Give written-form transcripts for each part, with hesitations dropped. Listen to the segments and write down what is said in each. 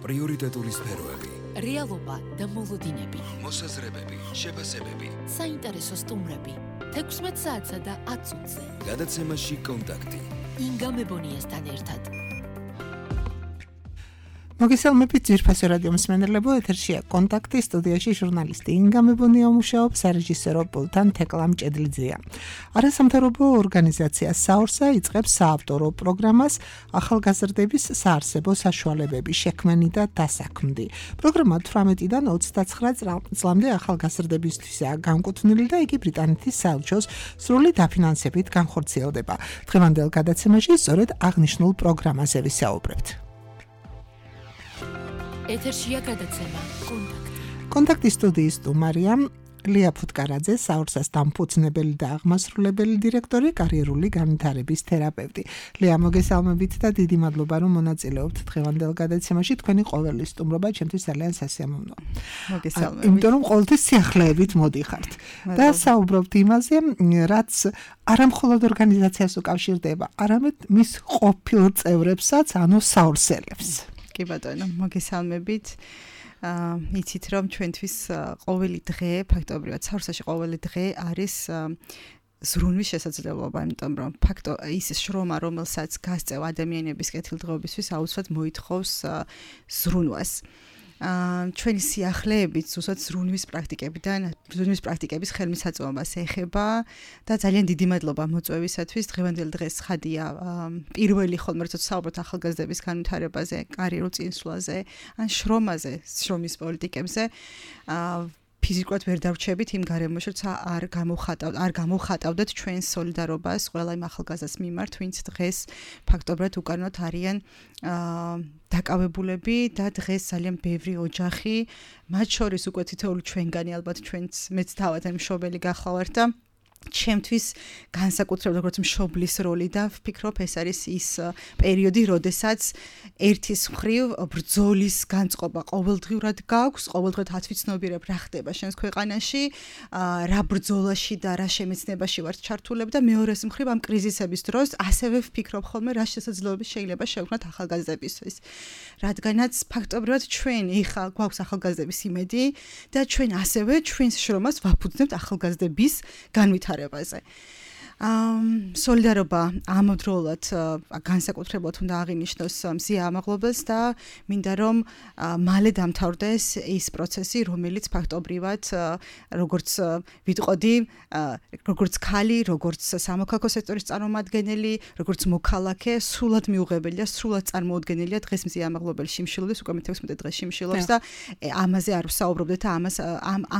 პრიორიტეტული სფეროები, რეალობა და მოლოდინები, მოსაზრებები, შეფასებები, საინტერესო სტუმრები, 16 საათსა და 10 წუთზე. გადაცემაში კონტაქტი. ინგა მებონიასთან ერთად. მოგესალმებით ძვირფასო რადიო მსმენელებო, ეთერშია კონტაქტი, სტუდიაში ჟურნალისტი ინგა მებონია მუშაობს, სარეჟისორო პულტთან თეკლა მჭედლიძეა. არასამთავრობო ორგანიზაცია საორსა იწყებს საავტორო პროგრამას ახალგაზრდების საარსებო საშუალებების შექმნი და დასაქმნი. პროგრამა 18-დან 29 წლამდე ახალგაზრდებისთვისაა განკუთვნილი და იგი ბრიტანეთის საელჩოს სრული დაფინანსებით განხორციელდება. დღევანდელ გადაცემაში სწორედ აღნიშნულ პროგრამაზე ვისაუბრებთ. ეთერშია გადაცემა კონტაქტი. კონტაქტის სტუდიის სტუმარია ლია ფუტკარაძე, საორსას დამფუძნებელი და აღმასრულებელი დირექტორი, კარიერული განვითარების თერაპევტი. ლია, მოგესალმებით და დიდი მადლობა, რომ მონაწილეობთ დღევანდელ გადაცემაში. თქვენი ყოველი სტუმრობა ჩემთვის ძალიან სასიამოვნოა. მოგესალმებით. იმიტომ რომ ყოველთვის სიახლეებით მოდიხართ. და საუბრობთ იმაზე, რაც არა მხოლოდ ორგანიზაციას უკავშირდება, არამედ მის ყოფილ წევრებსაც, ანუ საორსელებს. კი ბატონო, მოგესალმებით. იცით რომ ჩვენთვის ყოველი დღე, ფაქტობრივად საორსაში ყოველი დღე არის ზრუნვის შესაძლებლობა, იმიტომ რომ ის შრომა, რომელსაც გასწევ ადამიანების კეთილდღეობისთვის, აუცილებლად მოითხოვს ზრუნვას. ჩვენი სიახლეებით ზუსტად ზრუნვის პრაქტიკების ხელმისაწვდომას ეხება და ძალიან დიდი მადლობა მოწვევისათვის. დღევანდელ დღეს ხადია პირველი ხოლმე როცა საუბრობთ ახალგაზრდების განვითარებაზე, კარიერულ წინსვლაზე, ან შრომის პოლიტიკებზე, ფიზიკურად ვერ დავრჩებით იმ გარემოში, როცა არ გამოვხატავდეთ ჩვენს სოლიდარობას ყველა იმ ახალგაზრდას მიმართ, ვინც დღეს ფაქტობრივად უკანონოდ არიან დაკავებულები და დღეს ძალიან ბევრი ოჯახი, მათ შორის უკვე თითოეული ჩვენგანი ალბათ მეც თავად მშობელი გახლავართ და ჩემთვის განსაკუთრებით როგორც მშობლის როლი და ვფიქრობ ეს არის ის პერიოდი, როდესაც ერთის მხრივ ბრძოლის განწყობა ყოველდღიურად გაქვს, ყოველდღიურად ათვიცნობიერებ რა ხდება შენს ქვეყანაში, რა ბრძოლაში და რა შემეცნებაში ვართ ჩართულები და მეორეს მხრივ ამ კრიზისების დროს ასევე ვფიქრობ ხოლმე რა შესაძლებლობები შეიძლება შევქმნათ ახალგაზრდებისთვის. რადგანაც ფაქტობრივად ჩვენ ეხლა გვაქვს ახალგაზრდების იმედი და ჩვენ ასევე ჩვენს შრომას ვაფუძნებთ ახალგაზრდების განვითარებაზე. სოლიდარობა ამავდროულად განსაკუთრებულად უნდა აღინიშნოს მზია ამაღლობელს და მინდა რომ მალე დამთავრდეს ის პროცესი, რომელიც ფაქტობრივად როგორც ვიტყოდი, როგორც ქალი, როგორც სამოქალაქო სექტორის წარმომადგენელი, როგორც მოქალაქე, სრულად მიუღებელი და სრულად წარმოუდგენელია დღეს მზია ამაღლობელი შიმშილობდეს, უკვე 16 დღეს შიმშილობს და ამაზე არ ვსაუბრობდეთ და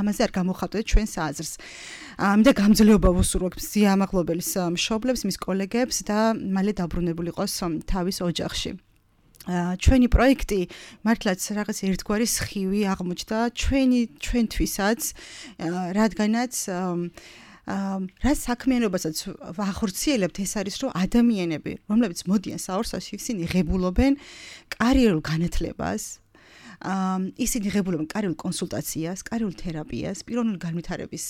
ამაზე არ გამოხატავდეთ ჩვენს აზრს. მინდა გამძლეობა ვუსურვებ მზია ამაღლობელის მშობლებს, მის კოლეგებს და მალე დაბრუნებული იყოს თავის ოჯახში. ჩვენი პროექტი მართლაც რაღაც ერთგვარი სხივი აღმოჩნდა ჩვენთვისაც, რადგანაც რა საქმიანობასაც ვახორციელებთ, ეს არის რომ ადამიანები, რომლებიც მოდიან საორსაში, ისინი ღებულობენ კარიერულ განათლებას, ისინი ღებულობენ კარიერულ კონსულტაციას, კარიერულ თერაპიას, პიროვნული განვითარების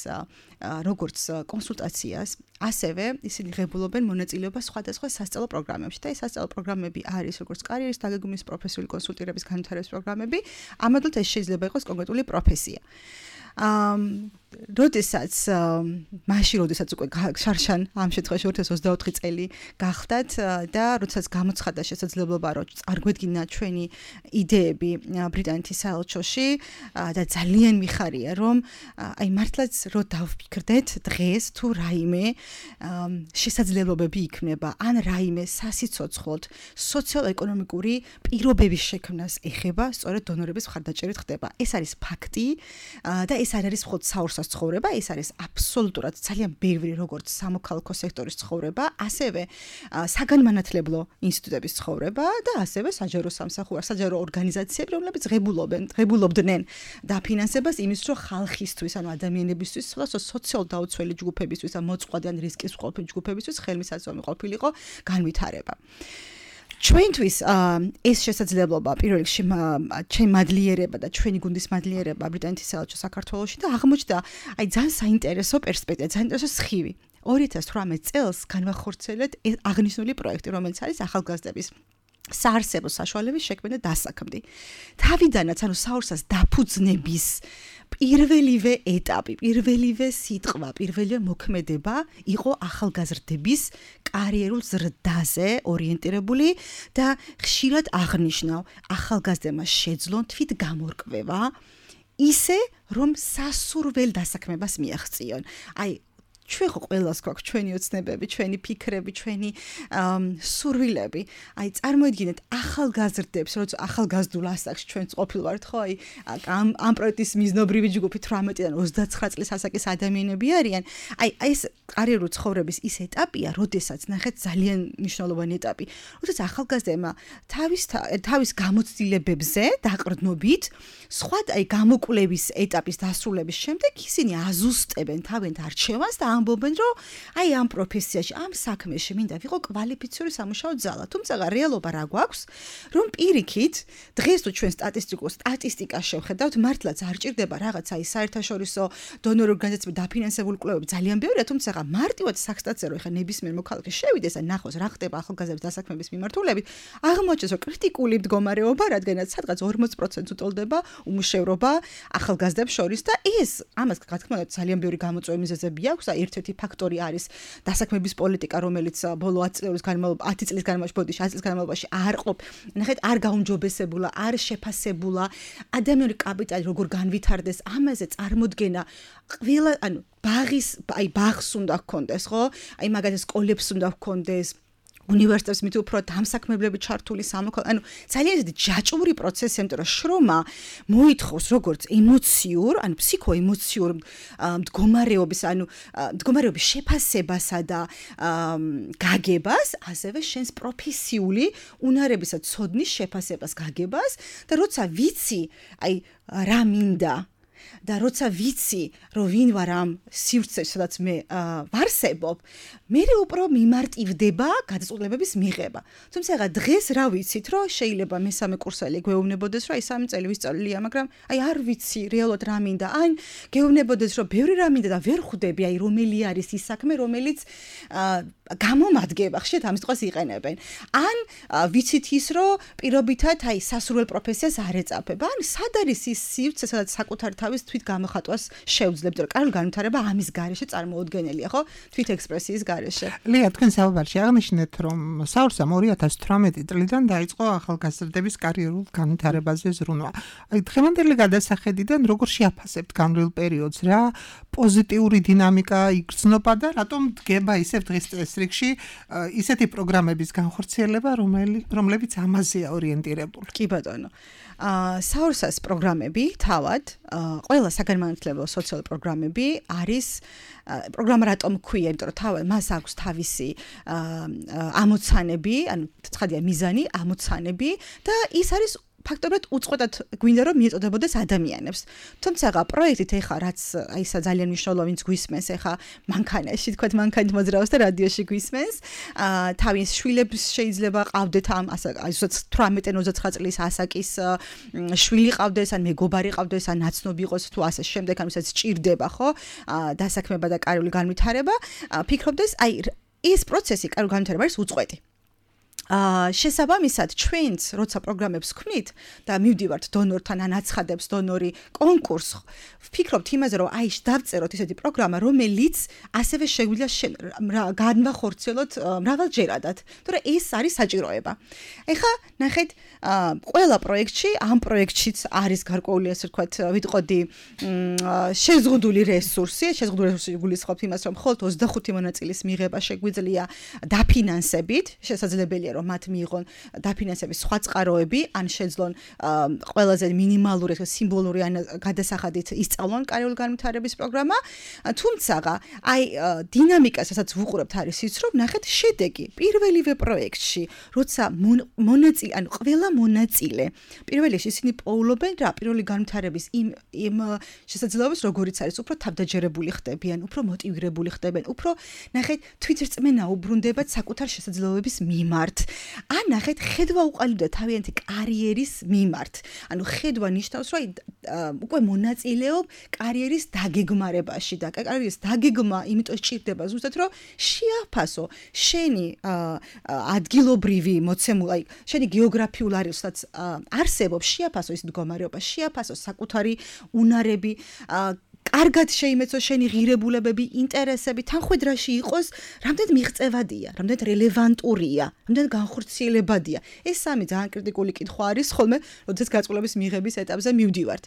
როგორც კონსულტაციას, ასევე ისინი ღებულობენ მონაწილეობას სხვადასხვა სასწავლო პროგრამებში და ეს სასწავლო პროგრამები არის როგორც კარიერის დაგეგმვის, პროფესიული კონსულტირების განვითარების პროგრამები, ამავდროულად ეს შეიძლება იყოს კონკრეტული პროფესია. როდესაც უკვე შარშან ამ შემთხვევაში 2024 წელი გახდათ და როდესაც გამოცხადდა შესაძლებლობა რომ წარგვედგინა ჩვენი იდეები ბრიტანეთის საელჩოში და ძალიან მიხარია რომ აი მართლაც რომ დავფიქრდეთ დღეს თუ რაიმე შესაძლებლობები იქნება ან რაიმე სასიცოცხლოდ სოციალ-ეკონომიკური პირობების შექმნას ეხება, სწორედ დონორების მხარდაჭერით ხდება. ეს არის ფაქტი და ეს არ არის მხოლოდ საორსა ცხოვრება, ეს არის აბსოლუტურად ძალიან ბევრი როგორც სამოქალაქო სექტორის ცხოვრება, ასევე საგანმანათლებლო ინსტიტუტების ცხოვრება და ასევე საჯარო ორგანიზაციები, რომლებიც ღებულობდნენ დაფინანსებას იმის, რომ ხალხისთვის, ანუ ადამიანებისთვის, სოციალ დაუცველი ჯგუფებისთვის და მოწყვლადი ან რისკის მყოფი ჯგუფებისთვის ხელმისაწვდომი ყოფილიყო განვითარება. ჩვენთვის ეს შესაძლებლობა პირველ რიგში ჩემი მადლიერება და ჩვენი გუნდის მადლიერება ბრიტანეთის საელჩო საქართველოში და აღმოჩნდა აი ძალიან საინტერესო პერსპექტივა, საინტერესო სხივი. 2018 წელს განვახორციელეთ აღნიშნული პროექტი, რომელიც არის ახალგაზრდების საარსებო საშუალების შექმნა და დასაქმდი. თავიდანაც ანუ საორსას დაფუძნების პირველივე ეტაპი, პირველივე სიტყვა, პირველივე მოქმედება იყო ახალგაზრდების კარიერულ ზრდაზე ორიენტირებული და ხშირად აღნიშნავ, ახალგაზრდებმა შეძლონ თვით გამორკვევა ისე, რომ სასურველ დასაქმებას მიაღწიონ. აი ჩვენ ხო ყველას გვაქვს ჩვენი ოცნებები, ჩვენი ფიქრები, ჩვენი სურვილები. აი წარმოიდგინეთ ახალგაზრდებს, როცა ახალგაზრდულ ასაკში ჩვენც ყოფილ ვართ, ხო? აი ამ პროექტის მიზნობრივი ჯგუფი 18-დან 29 წლის ასაკის ადამიანები არიან. აი ეს კარიერული ცხოვრების ის ეტაპია, როდესაც ნახეთ ძალიან მნიშვნელოვანი ეტაპი, როდესაც ახალგაზრდებმა თავის გამოცდილებებზე დაყრდნობით, სხვა აი გამოკვლევის ეტაპის დასრულების შემდეგ ისინი აზუსტებენ თავიანთ არჩევანს და ამბობენ, რომ აი ამ პროფესიაში, ამ საქმეში მინდა ვიყო კვალიფიციური სამუშაო ძალა. თუმცა რეალობა რა გვაქვს, რომ პირიქით, დღეს თუ ჩვენ სტატისტიკას შევხედავთ, მართლაც არ ჭირდება რაღაცა ის საერთაშორისო დონორ ორგანიზაციების დაფინანსებული კვლევები ძალიან ბევრია, თუმცა მარტივად სახსტატზე რომ ეხა ნებისმიერ მოქალაქე შევიდეს და ნახოს რა ხდება ახალგაზრდების დასაქმების მიმართულებით, აღმოჩნდეს, რომ კრიტიკული მდგომარეობა, რადგანაც სადღაც 40% უტოლდება უმუშევრობა ახალგაზრდებს შორის და ეს ამას რა თქმა უნდა ძალიან ბევრი გამოწვევის მიზეზები აქვს და ერთ-ერთი ფაქტორი არის დასაქმების პოლიტიკა, რომელიც ბოლო 10 წლის განმავლობაში არ ყოფ. ნახეთ, არ გაუმჯობესებულა, არ შეფასებულა ადამიანური კაპიტალი როგორ განვითარდეს, ამაზე წარმოდგენა ყველა, ანუ ბაღს უნდა გქონდეს, ხო? აი მაგალითად სკოლებს უნდა გქონდეს, უნივერსიტეტებს მით უფრო დამსაქმებლები ჩართული ანუ ძალიან ისეთი ჯაჭვური პროცესი, იმიტომ რომ შრომა მოითხოვს როგორც ემოციურ, ანუ ფსიქოემოციურ მდგომარეობის, ანუ მდგომარეობის შეფასებასა და გაგებას, ასევე შენს პროფესიული უნარებისა ცოდნის შეფასებას გაგებას და როცა ვიცი, აი რა მინდა და როცა ვიცი, რომ ვინ ვარ ამ სივრცეში, სადაც მე ვარსებობ, მე უფრო მიმარტივდება გადაწყვეტილებების მიღება. თუმცა დღეს რა ვიცით, რომ შეიძლება მესამე კურსელი გვეუბნებოდეს, რომ აი 3 წელი ვისწავლია, მაგრამ აი არ ვიცი რეალურად რა მინდა. ან გეუბნებოდეს, რომ ბევრი რა მინდა და ვერ ხვდები, აი რომელი არის ის საქმე, რომელიც გამომადგება, ხშირად ამის დღეს იყენებენ. ან ვიცით ის, რომ პირობითად აი სასურველ პროფესიას არ ეწაფება. ან სად არის ის სივრცე, სადაც საკუთარი თავის თვით გამოხატვას შევძლებთ, რომ კარგი განვითარება ამის გარეშე წარმოუდგენელია, ხო? თვით ექსპრესიის გარეშე. ლია, თქვენ საუბარში აღნიშნეთ, რომ საურსამ 2018 წლიდან დაიწყო ახალგაზრდების კარიერულ განვითარებაზე ზრუნვა. აი დღევანდელი გადასახედიდან როგორ შეაფასებთ განვლილ პერიოდს, რა პოზიტიური დინამიკა იგრძნობა და რატომ დგება ისევ დღეს წესრიგში ისეთი პროგრამების განხორციელება, რომლებიც ამაზეა ორიენტირებული? კი ბატონო. საურსას პროგრამები თავად ყველა საგანმანათლებლო სოციალური პროგრამები არის პროგრამა რატომ ქვია, იმიტომ რომ თავად მას აქვს თავისი ამოცანები, ანუ ცხადია მიზანი, ამოცანები და ის არის ფაქტობრივად უწყვეტად გვინდა რომ მიეწოდებოდეს ადამიანებს. თუმცა პროექტით ეხა რაც აი ისა ძალიან მნიშვნელოვანი გვისმენს ეხა მანქანაში, თქვათ მანქანით მოძრაობს და რადიოში გვისმენს. თავის შვილებს შეიძლება ყავდეთ ამ ასე 18-29 წლის ასაკის შვილი ყავდეს, ან მეგობარი ყავდეს, ან ნაცნობი იყოს თუ ასე შემდეგ, ანუ ისაც ჭირდება, ხო? დასაქმება და კარიერული განვითარება. ფიქრობდეს, აი ეს პროცესი კარიერული განვითარება არის უწყვეტი. შესაბამისად ჩვენც როცა პროგრამებს ვქმნით და მივდივართ დონორთან ან აცხადებს დონორი კონკურსს, ვფიქრობთ იმაზე, რომ აი დავწეროთ ესეთი პროგრამა, რომელიც ასევე შეგვიძლია განვახორციელოთ მრავალჯერადად, თორე ეს არის საჭიროება. ეხლა ნახეთ, ყველა პროექტში, ამ პროექტშიც არის გარკვეული ასე ვთქვათ, ვიტყოდი შეზღუდული რესურსი გულისხმობთ იმას, რომ მხოლოდ 25 მონაწილის მიღება შეგვიძლია დაფინანსებით, შესაძლებელია რომ მათ მიიღონ დაფინანსების სხვა წყაროები, ან შეძლონ ყველაზე მინიმალური სიმბოლური ან გადასახადით ისწავლონ კარიერული განვითარების პროგრამა. თუმცა აი დინამიკას, რასაც ვუყურებთ, არის ის, რომ ნახეთ შედეგი პირველივე პროექტში, როცა მონაწილე, ანუ ყველა მონაწილე პირველ რიგში ისინი პოულობენ რა პირველი განვითარების იმ შესაძლებლობას, როგორიც არის, უფრო თავდაჯერებული ხდებიან, უფრო მოტივირებული ხდებიან, უფრო ნახეთ თვითრწმენა უბრუნდებათ საკუთარ შესაძლებლობების მიმართ. ან ნახეთ ხედვა უყალიბდა თავიანთი კარიერის მიმართ. ანუ ხედვა ნიშნავს, რომ უკვე მონაწილეობ კარიერის დაგეგმარებაში და კარიერის დაგეგმა იმიტომ სჭირდება ზუსტად რომ შეაფასო შენი ადგილობრივი მოცემული, შენი გეოგრაფიული არეალსაც არსებობს, შეაფასო ის მდგომარეობა, შეაფასო საკუთარი უნარები, კარგად შეიმეცო შენი ღირებულებები, ინტერესები, თანხვედრაში იყოს, რამდენად მიღწევადია, რამდენად რელევანტურია, რამდენად განხორციელებადია. ეს სამი ძალიან კრიტიკული კითხვა არის, ხოლმე, როდესაც გაწყობების მიღების ეტაპზე მივდივართ.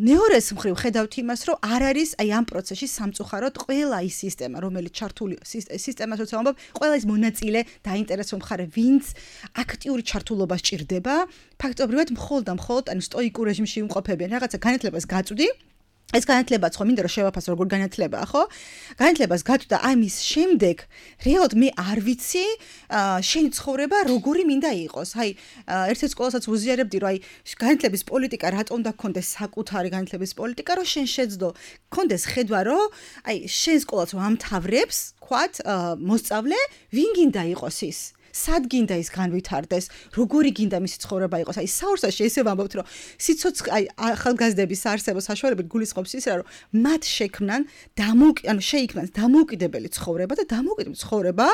მეორეს მხრივ ხედავთ იმას, რომ არ არის აი ამ პროცესში სამწუხაროდ ყველა ის სისტემა, რომელიც ჩართული სისტემას როცა ვამბობ, ყველა ის მონაწილე დაინტერესო მხარე, ვინც აქტიური ჩართულობა სჭირდება, ფაქტობრივად მხოლოდ ანუ სტოიკურ რეჟიმში იმყოფებიან, რაღაცა განათლებას გაწვდი. ეს განათლებაც ხო მინდა რომ შევაფასო როგორ განათლებაა ხო? განათლებას გაწვდა ამის შემდეგ რეალურად მე არ ვიცი შენი ცხოვრება როგორი მინდა იყოს. აი ერთ-ერთ სკოლასაც ვუზიარებდი რომ აი განათლების პოლიტიკა რატომ უნდა გქონდეს საკუთარი განათლების პოლიტიკა რომ შენ შეძლო გქონდეს ხედვა რომ აი შენ სკოლას ამთავრებს, ვქვათ, მოსწავლე ვინ გინდა იყოს ის? სად გინდა ის განვითარდეს, როგორი გინდა მისი ცხოვრება იყოს. აი საურსაში ესე ვამბობთ, რომ სიცოცხლე აი ახალგაზრდების არსებობს საშუალებით გულისხმობს ისე, რომ მათ შექმნან შეიქმნან დამოუკიდებელი ცხოვრება და დამოუკიდებელი ცხოვრება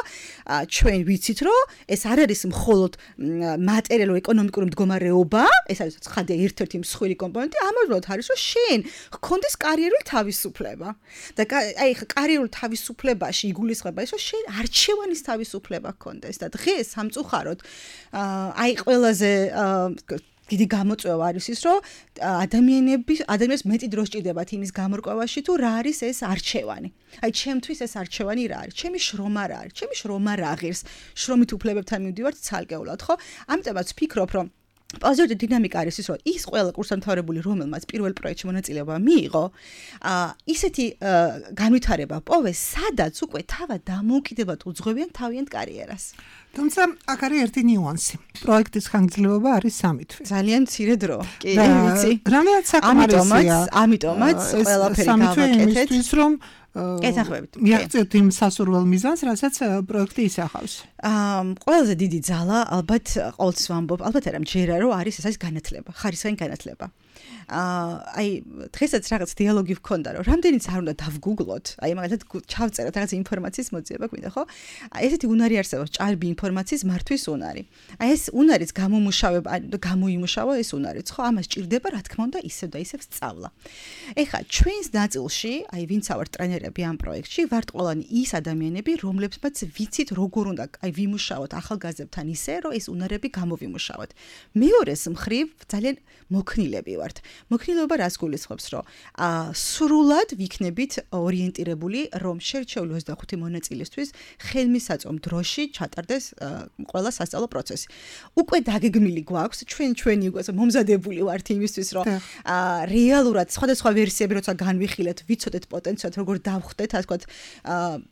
ჩვენ ვიცით, რომ ეს არ არის მხოლოდ მატერიალურ ეკონომიკური მდგომარეობა, ეს არის ხადია ერთ-ერთი მსხვილი კომპონენტი, ამავდროულად არის, რომ შენ გქონდეს კარიერული თავისუფლება. და აი კარიერულ თავისუფლებაში იგულისხმება ის, რომ შენ არჩევანის თავისუფლება გქონდეს და დღეს სამწუხაროდ აი ყველაზე დიდი გამოწვევა არის ის, რომ ადამიანებს მეტი დრო სჭირდებათ იმის გამორკვევაში, თუ რა არის ეს არჩევანი. აი ჩემთვის ეს არჩევანი რა არის? ჩემი შრომა რა არის? ჩემი შრომა რა ღირს? შრომით უფლებებთან მივდივართ ცალკეულად, ხო? ამიტომაც ვფიქრობ, რომ პოზიტივური დინამიკა არის ის, რომ ის ყველა კურსდამთავრებული, რომელმაც პირველ პროექტში მონაწილეობა მიიღო, ისეთი განვითარება პოვეს, სადაც უკვე თავად დამოუკიდებლად უძღვებიან თავიანთ კარიერას. თუმცა აქ არის ერთი ნიუანსი. პროექტის ხანგრძლივობა არის 3 თვე. ძალიან მცირე დრო. კი, ვიცი. რამეაც საკმარისია. ამიტომაც ყველაფერი გავაკეთეთ. იმისთვის რომ ეთანხმებით. მიაღწიოთ იმ სასურველ მიზანს, რასაც პროექტი ისახავს. ყველაზე დიდი ძალა ალბათ ყოველთვის ვამბობ, ალბათ არა მჯერა რომ არის ეს განათლება, ხარისხიანი განათლება. აი დღესაც რაღაც დიალოგი ვქონდა რომ რამდენიც არ უნდა დავგუგლოთ, აი მაგალითად ჩავწეროთ რაღაც ინფორმაციის მოძიება გვინდა, ხო? ესეთი უნარი არსებობს, ჭარბი ინფორმაციის მართვის უნარი. აი ეს უნარიც გამოიმუშავა ეს უნარიც, ხო? ამას ჭირდება რა თქმა უნდა ისევ და ისევ სწავლა. ეხლა ჩვენს ნაწილში, აი ვინც ავართ ტრენერები ამ პროექტში, ვართ ყველანი ის ადამიანები, რომლებსაც ვიცით როგორ უნდა აი ვიმუშაოთ ახალგაზრდებთან ისე, რომ ეს უნარები გამოვიმუშავოთ. მეორეს მხრივ ძალიან მოქნილები ვართ. მოქნილობა რას გულისხმობს, რომ სრულად ვიქნებით ორიენტირებული, რომ შერჩეული 25 მონაწილისთვის ხელმისაწვდომ დროში ჩატარდეს ყველა სასწავლო პროცესი. უკვე დაგეგმილი გვაქვს, ჩვენი უკვე მომზადებული ვართ იმისთვის, რომ რეალურად სხვადასხვა ვერსიები როცა განვიხილეთ, ვიცოდეთ პოტენციალად როგორ დავხვდეთ, ასე ვთქვათ,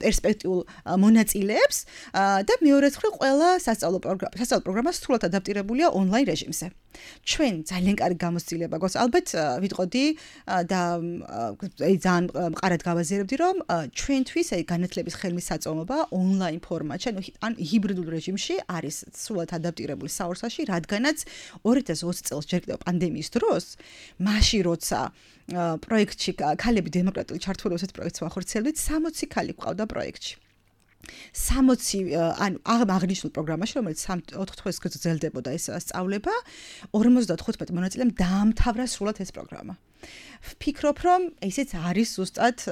პერსპექტიულ მონაწილეებს და მეორედ მხრივ ყველა სასწავლო პროგრამა სრულად ადაპტირებულია ონლაინ რეჟიმზე. ჩვენ ძალიან კარგი გამოცდილება გვაქვს. ალბათ ვიტყოდი და ძალიან მყარად გავაზიარებდი, რომ ჩვენთვის განათლების ხელმისაწვდომობა ონლაინ ფორმატში, ან ჰიბრიდულ რეჟიმში არის სრულად ადაპტირებული საურსაში, რადგანაც 2020 წელს ჯერ კიდევ პანდემიის დროს, მაშინ როცა პროექტში ქალები დემოკრატიული ჩართულობისას პროექტს ვახორციელებდით, 60 ქალი გვყავდა პროექტში. 60 ანუ აღნიშნულ პროგრამაში, რომელიც 4 თვეს გრძელდებოდა ეს სწავლება, 55 მონაწილემ დაამთავრა სრულად ეს პროგრამა. ვფიქრობ, რომ ესეც არის ზუსტად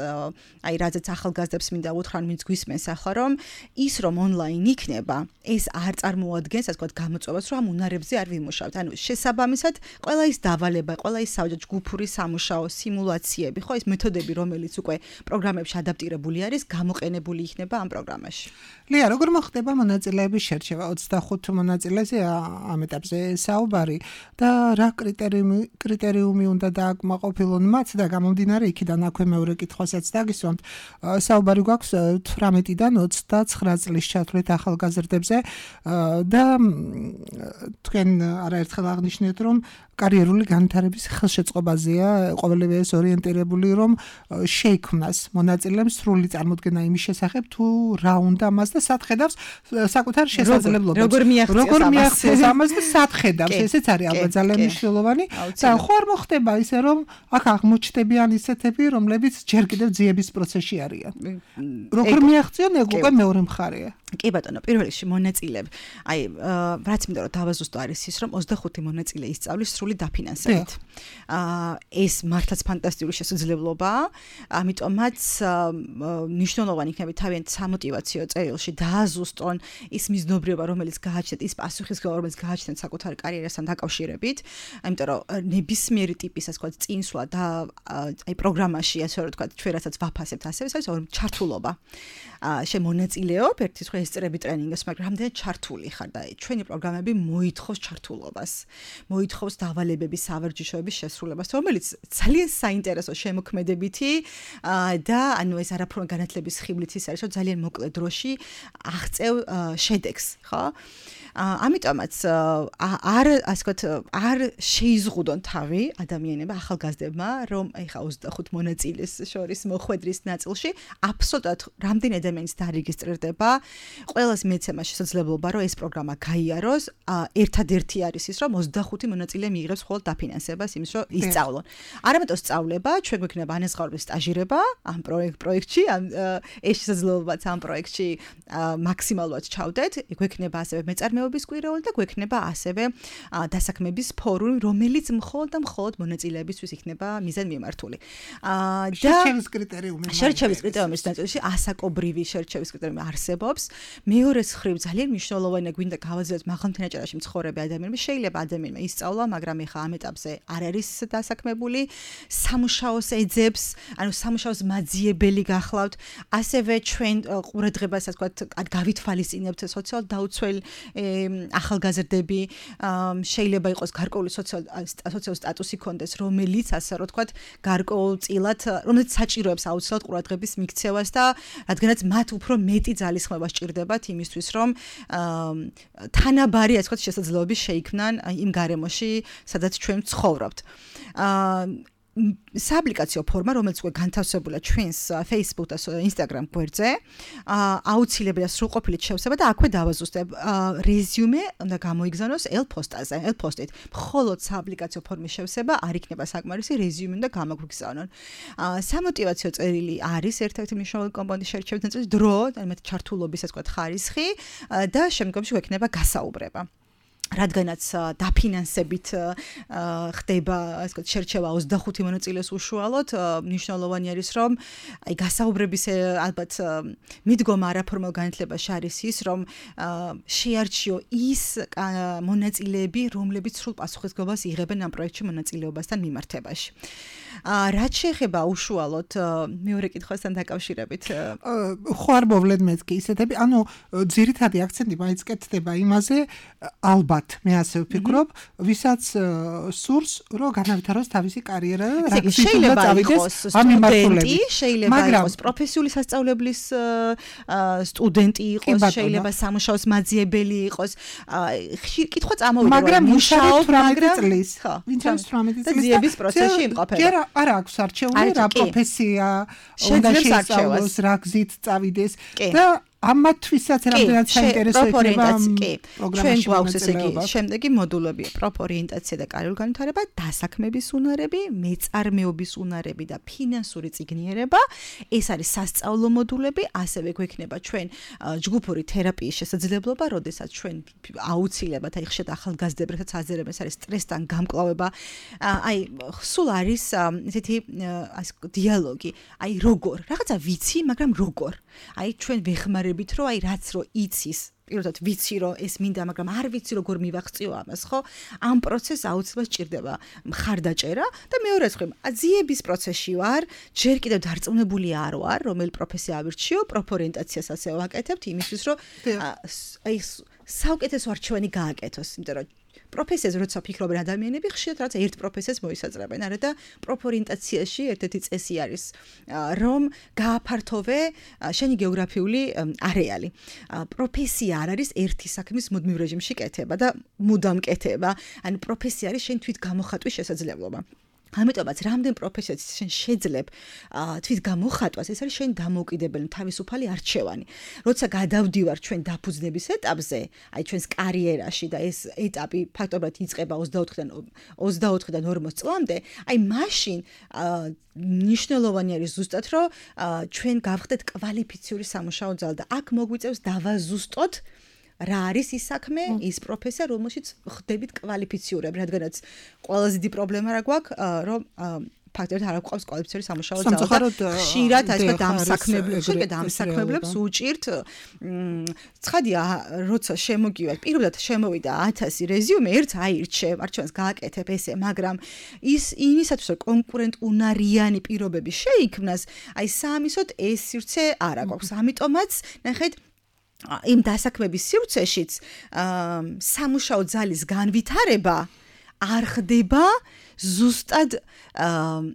აი რაზეც ახალგაზრდებს მინდა უთხრა, ვინც გვისმენს ახლა, რომ ის რომ ონლაინ იქნება, ეს არ წარმოადგენს, ასე ვთქვათ, გამოწვევას, რომ ამ უნარებზე არ ვიმუშავთ. ანუ შესაბამისად, ყველა ის დავალება, ყველა ის ჯგუფური სამუშაო, სიმულაციები, ხო, ეს მეთოდები, რომელიც უკვე პროგრამებში ადაპტირებული არის, გამოყენებული იქნება ამ პროგრამაში. ლია, როგორ მოხდება მონაწილეების შერჩევა? 25 მონაწილეზე ამ ეტაპზე საუბარი და რა კრიტერიუმი უნდა დააკმაყოფილონ მათ და გამომდინარე იქიდან აქვე მეორე კითხვასაც დაგისვამთ. საუბარი გვაქვს 18-დან 29 წლის ჩათვლით ახალგაზრდებზე და თქვენ არაერთხელ აღნიშნეთ, რომ კარიერული განვითარების ხელშეწყობაზეა ყოველივე ეს ორიენტირებული, რომ შეიქმნას მონაწილემ სრული წარმოდგენა იმის შესახებ, თუ რა უნდა მას და სად ხედავს საკუთარ შესაძლებლობებს. როგორ მიაღწევს ამას და სად ხედავს. ესეც არის ალბათ ძალიან მნიშვნელოვანი. და ხო არ მოხდება ისე, რომ აქ აღმოჩნდებიან ისეთები, რომლებიც ჯერ კიდევ ძიების პროცესში არიან. როგორ მიაღწიონ, ეგ უკვე მეორე მხარეა. კი ბატონო, პირველ რიგში მონაწილე. რაც მინდა რომ დავაზუსტო არის ის, რომ 25 მონაწილე ისწავლის სრული დაფინანსებით. ეს მართლაც ფანტასტიკური შესაძლებლობაა, ამიტომაც მნიშვნელოვანი იქნება თავიანთ სამოტივაციო წერილში დააზუსტონ ის მიზნობრიობა, რომელიც გააჩნდათ, ის პასუხისმგებლობა, რომელიც გააჩნდათ საკუთარ კარიერასთან დაკავშირებით, ამიტომ რომ ნებისმიერი ტიპის ასე ვთქვათ წინსვლა და პროგრამაში ასე ვთქვათ ჩვენ რასაც ვაფასებთ ასევე ეს არის ჩართულობა. შემონაწილეობ ერთის ხო ესწრები ტრენინგს, მაგრამ რამდენად ჩართული ხარ და ჩვენი პროგრამები მოითხოვს ჩართულობას, მოითხოვს დავალებების სავარჯიშოების შესრულებას, რომელიც ძალიან საინტერესო შემოქმედებითი და ანუ ეს არაფრთხილ განათლების ხიბლით ის არის, რომ ძალიან მოკლე დროში აღწევ შედეგს, ხო? ამიტომაც არ შეიზღუდონ თავი ადამიანებმა ახალგაზრდებმა, რომ ეხა 25 მონაწილეს შორის მოხვედრის ნაწილში აბსოლუტურად რამდენი ადამიანის დარეგისტრირდება, ყველას მეცემა შესაძლებლობა, რომ ეს პროგრამა გაიაროს, ერთადერთი არის ის, რომ 25 მონაწილე მიიღებს მხოლოდ დაფინანსებას იმის, რომ ისწავლონ. არამედ სწავლება, ჩვენ გვექნება ანაზღაურების სტაჟირება ამ პროექტში, ეს შესაძლებლობაც ამ პროექტში მაქსიმალურად ჩავდეთ, გვექნება ასევე მეწარმეობის კვირაული და გვექნება ასევე დასაქმების ფორუმი, რომელიც მხოლოდ მონაწილეებისთვის იქნება მიზანმიმართული. შერჩევის კრიტერიუმის ნაწილში ასაკობრივი შერჩევის კრიტერიუმი არსებობს. მეორე მხრივ ძალიან მნიშვნელოვანია გვინდა გავაძლიეროთ მაღალმთენაჭარაში მცხოვრები ადამიანები. შეიძლება ადამიანმა ისწავლა, მაგრამ ეხა ამ ეტაპზე არ არის დასაქმებული, სამუშაოს ეძებს, ანუ სამუშაოს მაძიებელი გახლავთ. ასევე ჩვენ ყურადღებას ასე ვთქვათ, გავითვალისწინებთ სოციალ დაუცველ ახალგაზრდები, შეიძლება იყოს გარკვეული სოციალური სტატუსი კონდეს, რომელიც ასე რომ ვთქვათ, გარკვეულწილად, რომელიც საჭიროებს აუცილებლად ყურადღების მიქცევას და რადგანაც მათ უფრო მეტი ძალისხმევა სჭირდებათ იმისთვის, რომ თანაბარი ასე ვთქვათ შესაძლებლობები შეიქმნან იმ გარემოში, სადაც ჩვენ ცხოვრობთ. სააპლიკაციო ფორმა, რომელიც უკვე განთავსებულია ჩვენს Facebook და Instagram გვერდზე, აუცილებელია სრულყოფილით შევსება და აქვე დავაზუსტებ. რეზიუმე უნდა გამოიგზავნოს ელპოსტით. მხოლოდ სააპლიკაციო ფორმის შევსება არ იქნება საკმარისი, რეზიუმე უნდა გამოგვიგზავნონ. სამოტივაციო წერილი არის ერთ-ერთი მნიშვნელოვანი კომპონენტი შერჩევის ნაწილი, დრო, ანუ ჩართულობის ასე ვთქვათ ხარისხი და შემდგომში გვექნება გასაუბრება. რადგანაც დაფინანსებით ხდება ასე ვთქვათ შერჩევა 25 მონაწილეს უშუალოდ, მნიშვნელოვანი არის, რომ აი გასაუბრების ალბათ მიდგომა არაფორმალ განათლებაში არის ის, რომ შეარჩიო ის მონაწილეები, რომლებიც სრულ პასუხისმგებლობას იღებენ ამ პროექტში მონაწილეობასთან მიმართებაში. რაც შეეხება უშუალოდ მეორე კითხვასთან დაკავშირებით, ხო არ მოვლენ მეთქი ისეთები, ანუ ძირითადი აქცენტი მაინც კეთდება იმაზე, ალბათ მე ასე ვფიქრობ, ვისაც სურს, რომ განავითაროს თავისი კარიერა და შეიძლება იყოს სტუდენტი, შეიძლება იყოს პროფესიული სასწავლებლის სტუდენტი იყოს, შეიძლება სამუშაოს მაძიებელი იყოს. კითხვა წამოვიდა, მაგრამ მუშაობ, მაგრამ ვინც არის 18 წლის ძიების პროცესში იმყოფება. არ აქვს არჩეული რა პროფესია უნდა შეისწავლოს, რა გზით წავიდეს და ამათვისაც რამდენად საინტერესო იქნება ჩვენ გვაქვს ესე იგი შემდეგი მოდულები პროპორიენტაცია და კარიერული განვითარება, დასაქმების უნარები, მეწარმეობის უნარები და ფინანსური წიგნიერება. ეს არის სასწავლო მოდულები, ასევე გვექნება ჩვენ ჯგუფური თერაპიის შესაძლებლობა, როდესაც ჩვენ აუცილებლად აი ხშირად ახალგაზრდებსაც აზერებს არის სტრესთან გამკლავება. აი სულ არის ესეთი დიალოგი, აი როგორ, რაღაცა ვიცი, მაგრამ როგორ. აი ჩვენ ვეხმარებით, რომ აი რაც რო იცის, პირდაპირ ვიცი რომ ეს მინდა, მაგრამ არ ვიცი როგორ მივახციო ამას, ხო? ამ პროცესს აუცილებლად სჭირდება მხარდაჭერა და მეორე მხრივ, ძიების პროცესში ვარ, ჯერ კიდევ დარწმუნებული არ ვარ, რომელი პროფესია ავირჩიო, პროპორიენტაციას ასე ვაკეთებთ იმისთვის, რომ აი საუკეთესო არჩევანი გააკეთოს, იმიტომ რომ პროფესიაზე როცა ფიქრობენ ადამიანები, ხშირად რაც ერთ პროფესიას მოისაძრებენ, არა და პროფორიენტაციაში ერთ-ერთი წესი არის, რომ გააფართოვე შენი გეოგრაფიული არეალი. პროფესია არ არის ერთი საქმის მუდმივ რეჟიმში კეთება და მუდამ კეთება, ანუ პროფესია არის შენ თვით გამოხატვის შესაძლებლობა. ამიტომაც რამდენ პროფესიას შენ შეძლებ თვით გამოხატვას, ეს არის შენ დამოუკიდებელი თავისუფალი არჩევანი. როცა გადავდივარ ჩვენ დაფუძნების ეტაპზე, აი ჩვენს კარიერაში და ეს ეტაპი ფაქტობრივად იწყება 24-დან 40 წლამდე, აი მაშინ ნიშნულოვანი არის ზუსტად, რომ ჩვენ გავხდეთ კვალიფიციური სამუშაო ძალა და აქ მოგვიწევს დავაზუსტოთ რა არის ის საქმე, ის პროფესია, რომელშიც ხდებით კვალიფიციურები, რადგანაც ყველაზე დიდი პრობლემა რა გვაქვს, რომ ფაქტობრივად არ გვყავს კვალიფიციური სამუშაო ძალა. ხშირად ასე დამსაქმებლებს უჭირთ ცხადია, როცა შემოგივარ, პირობად შემოვიდა 1000 რეზიუმე, ერთ არჩევანს გააკეთებ ესე, მაგრამ იმისათვის რომ კონკურენტუნარიანი პირობები შეიქმნას, აი საამისოდ ეს სივრცე არ აქვს. ამიტომაც ნახეთ იმ დასაქმების სივრცეშიც სამუშაო ძალის განვითარება არ ხდება ზუსტად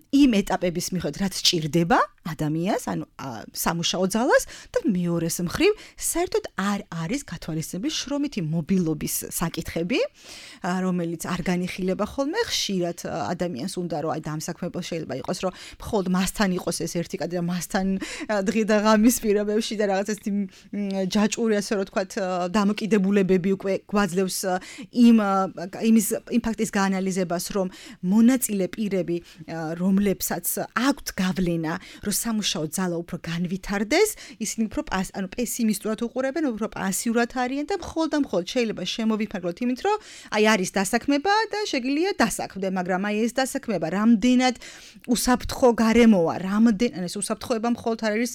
იმ ეტაპების მიხედვით, რაც ჭირდება ადამიანს, ანუ სამუშაო ძალას და მეორეს მხრივ საერთოდ არ არის გათვალისწინებული შრომითი მობილობის საკითხები, რომელიც არ განიხილება ხოლმე. ხშირად ადამიანს უნდა რომ აი დამსაქმებელს შეიძლება იყოს, რომ მხოლოდ მასთან იყოს ეს ერთი კადრი და მასთან დღე და ღამის პირობებში და რაღაც ეს ჯაჭვური ასე რომ თქვათ დამოკიდებულებები უკვე გვაძლევს იმ ფაქტის გაანალიზებას, რომ მონაწილე პირები, რომლებსაც აქვთ გავლენა, რომ სამუშაო ძალა უფრო განვითარდეს, ისინი უფრო პესიმისტურად უყურებენ, უფრო პასიურად არიან და მხოლოდ შეიძლება შემოვიფარგლოთ იმით, რომ აი არის დასაქმება და შეგიძლია დასაქმდე, მაგრამ აი ეს დასაქმება რამდენად უსაფრთხო გარემოა, ეს უსაფრთხოება მხოლოდ არ არის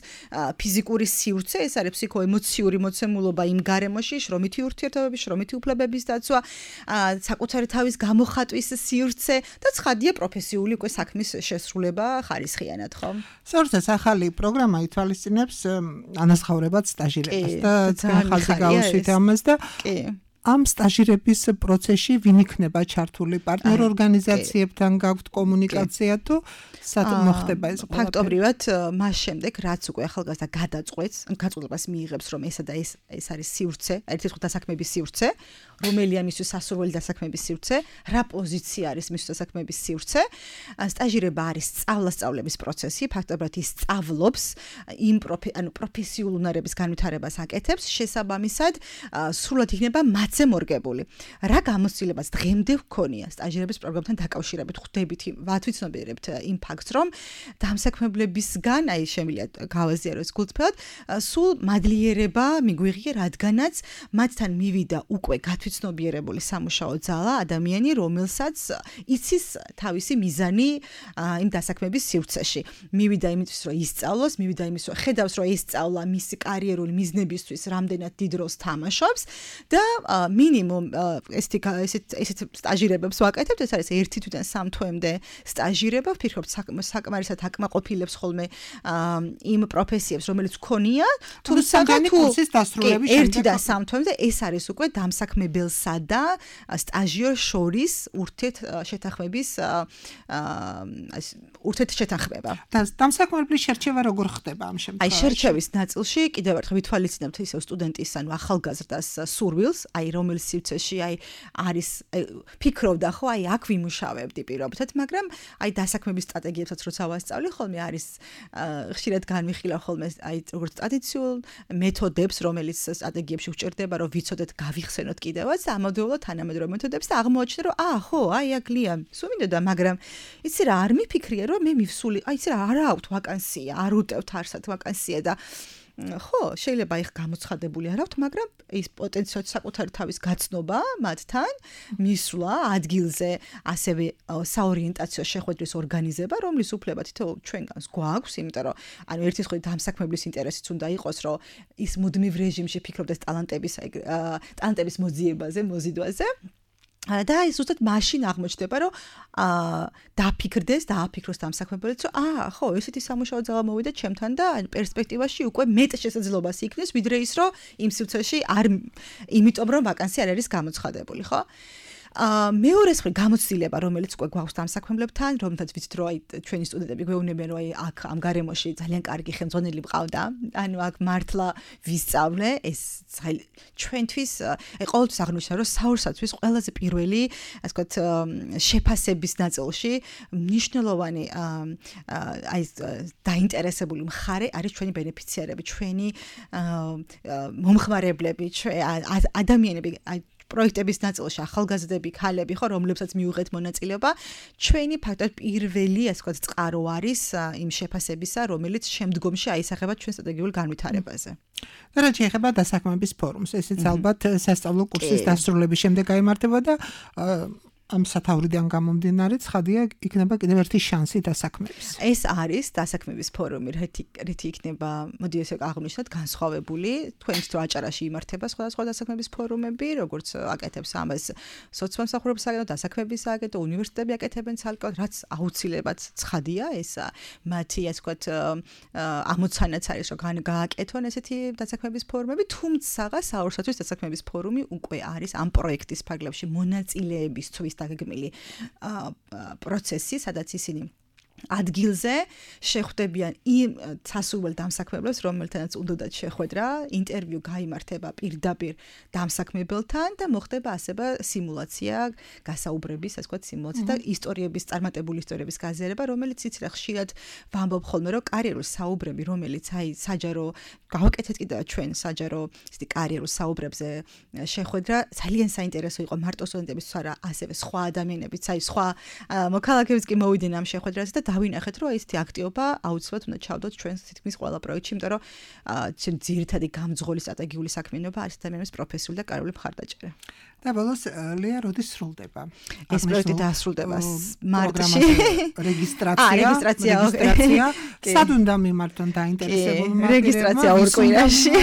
ფიზიკური სივრცე, ეს არის ფსიქოემოციური მოცემულობა იმ გარემოში, შრომითი ურთიერთობები, შრომითი უფლებების დაცვა, საკუთარი თავის გამოხატვის სივრცე და ცხადია პროფესიული უკვე საქმის შესრულება ხარისხიანად, ხო? საერთოდ ახალი პროგრამა ითვალისწინებს ანაზღაურებად სტაჟირებას და ძალიან ხალხი გაუსვით ამას და ამ სტაჟირების პროცესში ვინ იქნება ჩართული პარტნიორ ორგანიზაციებთან გაქვთ კომუნიკაცია თუ სათუმ მოხდება ეს ყველაფერი? ფაქტობრივად მას შემდეგ რაც უკვე ახალგაზრდა გადაწყვეტს, გაწყვეტილებას მიიღებს, რომ ესა და ეს არის სივრცე, ერთ-ერთი დასაქმების სივრცე, რომელია მისთვის სასურველი დასაქმების სივრცე, რა პოზიცია არის მისთვის დასაქმების სივრცე, სტაჟირება არის სწავლასწავლების პროცესი, ფაქტობრივად ის სწავლობს იმ პროფესიულ უნარების განვითარებას აკეთებს, შესაბამისად სრულად იქნება მათზე მორგებული. რა გამოცდილებას დღემდე ვქონია სტაჟირების პროგრამთან დაკავშირებით, ხვდებით, ვაცნობიერებთ იმ ფაქტს, რომ დამსაქმებლებისგან, აი შემიძლია გავაზიარო ეს გულწრფელად, სულ მადლიერება მიგვიღია, რადგანაც მათთან მივიდა უკვე გათვითცნობიერებული სამუშაო ძალა, ადამიანი, რომელსაც იცის თავისი მიზანი იმ დასაქმების სივრცეში. მივიდა იმისთვის, რომ ისწავლოს, მივიდა იმისთვის, რომ ხედავს, რომ ეს სწავლა მისი კარიერული მიზნებისთვის რამდენად დიდ როლს თამაშობს და მინიმუმ ესეთ სტაჟირებებს ვაკეთებთ, ეს არის 1 თვიდან 3 თვემდე სტაჟირება, ვფიქრობ საკმარისად აკმაყოფილებს ხოლმე იმ პროფესიებს, რომელიც ვქონია, თუმცა კურსის დასრულების შემდეგ 1-დან 3 თვემდე ეს არის უკვე დამსაქმებელსა და სტაჟიორ შორის ურთიერთშეთანხმება. და დამსაქმებლის შერჩევა როგორ ხდება ამ შემთხვევაში? აი შერჩევის ნაწილში კიდევ ერთხელ ვითვალისწინებთ ისევ სტუდენტის ანუ ახალგაზრდას სურვილს, აი რომელ სივრცეში არის ფიქრობდა ხო, აი აქ ვიმუშავებდი პირობითად, მაგრამ აი დასაქმების სტრატეგიებსაც როცა ვასწავლი ხოლმე არის ხშირად განვიხილავ ხოლმე აი როგორც ტრადიციულ მეთოდებს, რომელიც სტრატეგიებში გვჭირდება, რომ ვიცოდეთ, გავიხსენოთ კიდევაც ამავდროულად თანამედროვე მეთოდებს და აღმოაჩინე, რომ ხო, აი აქ ლია სუმინდოდა, მაგრამ იცი რა არ მიფიქრია, რომ მე მივსული, აი იცი რა არ აქვთ ვაკანსია, არ უტევთ არსად ვაკანსია და ხო, შეიძლება იქ გამოცხადებული არ აქვთ, მაგრამ ის პოტენციალურად საკუთარი თავის გაცნობა მათთან, მისვლა ადგილზე, ასევე საორიენტაციო შეხვედრის ორგანიზება, რომლის უფლება თითოეულ ჩვენგანს გვაქვს, იმიტომ რომ ანუ ერთის მხრივ დამსაქმებლის ინტერესიც უნდა იყოს, რომ ის მუდმივ რეჟიმში ფიქრობდეს ტალანტების მოძიებაზე, მოზიდვაზე. და ის უბრალოდ მაშინ აღმოჩნდება, რომ დააფიქროს დამსაქმებელიც, რომ ხო, ესეთი სამუშაო ძალა მოვიდა ჩემთან და პერსპექტივაში უკვე მეტ შესაძლებლობას იქნეს, ვიდრე ის, რომ იმ სივრცეში არ იმიტომ რომ ვაკანსია არ არის გამოცხადებული, ხო? მეორე მხრივ გამოცდილება, რომელიც უკვე გვაქვს დამსაქმებლებთან, რომელთაც ვიცით, რომ ჩვენი სტუდენტები გვეუბნებიან, რომ აქ ამ გარემოში ძალიან კარგი ხელმძღვანელი მყავდა, ანუ აქ მართლა ვისწავლე, ეს ჩვენთვის ყოველთვის აღნიშნა, რომ საურსათვის ყველაზე პირველი, ასე ვთქვათ, შეფასების ნაწილში მნიშვნელოვანი დაინტერესებული მხარე არის ჩვენი ბენეფიციარები, ჩვენი მომხმარებლები, ადამიანები, პროექტების ნაწილში ახალგაზრდები, ქალები, ხო, რომლებსაც მიუღეთ მონაწილეობა, ჩვენი ფაქტობრივად პირველი, ასე ვთქვათ, წყარო არის იმ შეფასებისა, რომელიც შემდგომში აისახება ჩვენ სტრატეგიულ განვითარებაზე. და რაც შეეხება დასაქმების ფორუმს, ესეც ალბათ სასწავლო კურსის დასრულების შემდეგ გაიმართება და ამ სათავრიდან გამომდინარე ცხადია იქნება კიდევ ერთი შანსი დასაქმების. ეს არის დასაქმების ფორუმი, რითი იქნება, მოდი ესე აღვნიშნოთ, განსხვავებული. თქვენს დრო აჭარაში იმართება სხვადასხვა დასაქმების ფორუმები, როგორც აკეთებს ამას სოციალურ სააგენტო, დასაქმების სააგენტო, უნივერსიტეტები აკეთებენ ცალკეულად, რაც აუცილებლად ცხადია, ეს მათი, ასე ვთქვათ, ამოცანაც არის, რომ გააკეთონ ესეთი დასაქმების ფორუმები, თუმცა საურსათვის დასაქმების ფორუმი უკვე არის ამ პროექტის ფარგლებში მონაწილეებისთვის დაგეგმილი პროცესი, სადაც ისინი ადგილზე შეხვდებიან იმ სასურველ დამსაქმებლებს, რომელთანაც უნდათ შეხვედრა, ინტერვიუ გაიმართება პირდაპირ დამსაქმებელთან და მოხდება ასევე სიმულაცია, გასაუბრების, ასე ვთქვათ, სიმულაცია და ისტორიების, წარმატებული ისტორიების გაზიარება, რომელიც იცი რა ხშირად ვამბობ ხოლმე, რომ კარიერულ საუბრები, რომელიც საჯარო გავაკეთეთ კიდევ ჩვენ საჯარო ისეთი კარიერულ საუბრებზე შეხვედრა, ძალიან საინტერესო იყო მარტო სტუდენტებისთვის არა, ასევე სხვა ადამიანებიც, სხვა მოქალაქეებიც კი მოვიდნენ ამ შეხვედრაზე და დავინახეთ, რომ ესეთი აქტივობა აუცილებლად უნდა ჩავდოთ ჩვენს თითქმის ყველა პროექტში, იმიტომ რომ ძირითადი გამძღოლი სტრატეგიული საქმიანობა არის ადამიანების პროფესიული და კარიერული მხარდაჭერა. და ბოლოს ლეა როდის სრულდება? ეს პროექტი დასრულდება მარტში. რეგისტრაცია. სად უნდა მიმართონ დაინტერესებულმა? რეგისტრაცია ორ კვირაში.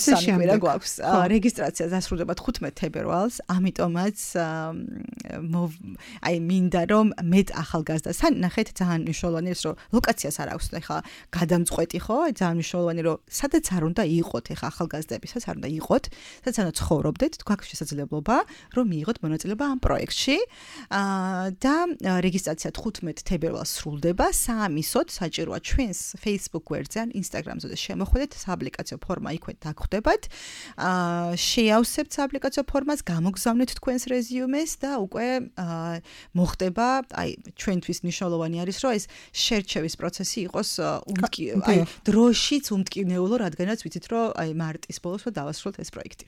სამი კვირა გვაქვს. რეგისტრაცია დასრულდება 15 თებერვალს, ამიტომაც მინდა რომ მეტ ახალგაზრდას ნახეთ, ძალიან მნიშვნელოვანი ის რომ ლოკაციას არ აქვს ეხლა გადამწყვეტი ხო? ძალიან მნიშვნელოვანი რომ სადაც არ უნდა იყოთ ეხლა ახალგაზრდები, სადაც არ უნდა იყოთ, სადაც არ უნდა ცხოვრობდეთ, გვაქვს შესაძლებლობა რომ მიიღოთ მონაწილეობა ამ პროექტში. და რეგისტრაცია 15 თებერვალს სრულდება. საამისოდ საჭიროა ჩვენს Facebook გვერდზე ან Instagram-ზე შემოხვიდეთ, სააპლიკაციო ფორმა იქვე დაგხვდებათ. შეავსებთ სააპლიკაციო ფორმას, გამოგზავნეთ თქვენს რეზიუმეს და უკვე მოხდება, ჩვენთვის მნიშვნელოვანი არის, რომ ეს შერჩევის პროცესი იყოს დროშიც უმტკივნეულო, რადგანაც ვიცით, რომ მარტის ბოლოს დავასრულოთ ეს პროექტი.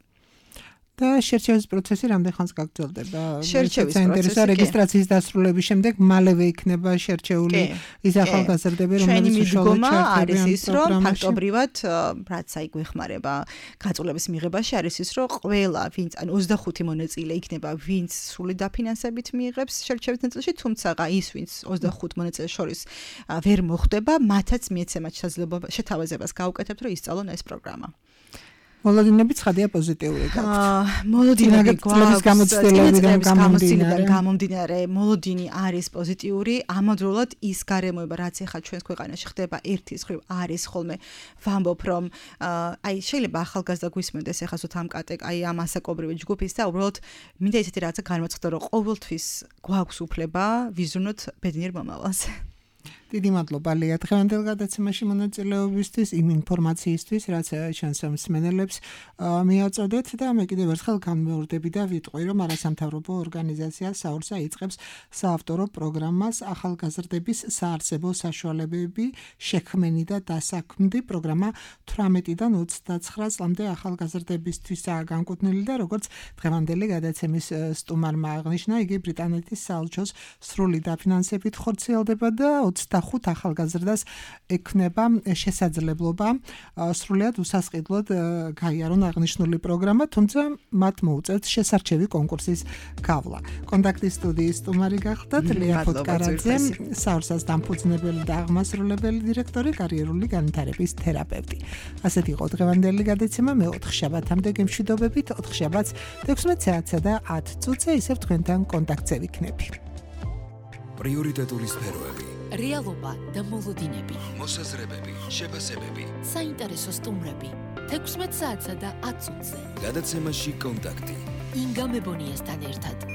და შერჩევის პროცესი რამდენ ხანს გაგრძელდება? შერჩევის პროცესი რეგისტრაციის დასრულების შემდეგ მალევე იქნება შერჩეული ის ახალგაზრდები, რომლებიც უშუალოდ არის ის, რომ ფაქტობრივად, რაც გვეხმარება გაწოლების მიღებაში, არის ის, რომ ყველა, ვინც ან 25 მონაწილე იქნება, ვინც სრული დაფინანსებით მიიღებს შერჩევის ნაწილში, თუმცა ის, ვინც 25 მონაწილეს შორის ვერ მოხვდება, მათაც მიეცემათ შეთავაზებას გაუკეთებთ, რომ ისწავლონ ეს პროგრამა. მოლოდინები ცხადია პოზიტიური გაქვთ. მოლოდინები გვაქვს გამომდინარე, მოლოდინი არის პოზიტიური, ამავდროულად ის გარემოება, რაც ახლა ჩვენს ქვეყანაში ხდება, ერთის მხრივ არის ხოლმე ვამბობ, რომ შეიძლება ახალგაზრდა გვისმენდეს ახლა სულ ამ ასაკობრივი ჯგუფის და უბრალოდ მინდა ისეთი რაღაცა განვაცხადო, რომ ყოველთვის გვაქვს უფლება ვიზრუნოთ ბედნიერ მომავალს. დიდი მადლობა ლეა დღევანდელ გადაცემაში მონაწილეობისთვის, იმ ინფორმაციისთვის, რაც ჩვენს მსმენელებს მიაწოდეთ და მე კიდევ ერთხელ განმეორდები და ვიტყვი, რომ არასამთავრობო ორგანიზაცია საურსა იწყებს საავტორო პროგრამას ახალგაზრდების საარსებო საშუალებები შექმენი და დასაქმდი პროგრამა 18-დან 29 წლამდე ახალგაზრდებისთვისაა განკუთვნილი და როგორც დღევანდელი გადაცემის სტუმარმა აღნიშნა, იგი ბრიტანეთის საელჩოს სრული დაფინანსებით ხორციელდება და 25 ახალგაზრდას ექნება შესაძლებლობა სრულიად უსასყიდლოდ გაიარონ აღნიშნული პროგრამა, თუმცა მათ მოუწევთ შესარჩევი კონკურსის გავლა. კონტაქტის სტუდიის სტუმარი გახდათ ლეა ფოტკარაძე, საურსას დამფუძნებელი და აღმასრულებელი დირექტორი, კარიერული განვითარების თერაპევტი. ასეთი იყო დღევანდელი გადაცემა, მე 4 შაბათამდე გემშვიდობებით, 4 შაბათს 16 საათსა და 10 წუთზე ისევ თქვენთან კონტაქტზე ვიქნები. პრიორიტეტული სფეროები, რეალობა და მოლოდინები, მოსაზრებები, შეფასებები, საინტერესო სტუმრები, 16 საათსა და 10 წუთზე. გადაცემაში კონტაქტი. ინგა მებონიასთან ერთად.